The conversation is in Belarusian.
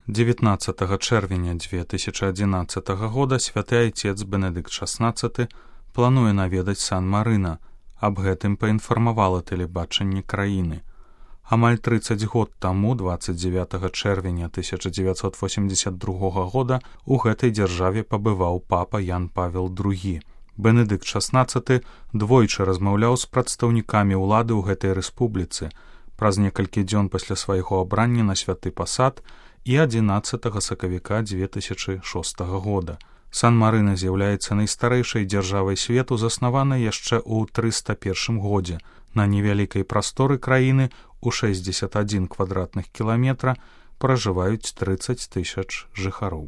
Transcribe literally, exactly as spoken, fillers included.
дзевятнаццатага чэрвеня дзве тысячы адзінаццатага года святы айцец Бенедыкт шаснаццаты плануе наведаць Сан-Марына. Аб гэтым паінфармавала тэлебачанне краіны. Амаль трыццаць год таму, дваццаць дзевятага чэрвеня тысяча дзевяцьсот восемьдесят другога года, у гэтай дзяржаве пабываў папа Ян Павел другі. Бенедыкт шаснаццаты двойчы размаўляў з прадстаўнікамі ўлады ў гэтай рэспубліцы. Праз некалькі дзён пасля свайго абрання на святы пасад і адзінаццатага сакавіка дзве тысячы шостага года. Сан-Марына з'яўляецца найстарэйшай дзяржавай свету, заснаванай яшчэ ў трыста першым годзе. На невялікай прасторы краіны у шэсцьдзесят адзін квадратных кіламетра пражываюць трыццаць тысяч жыхароў.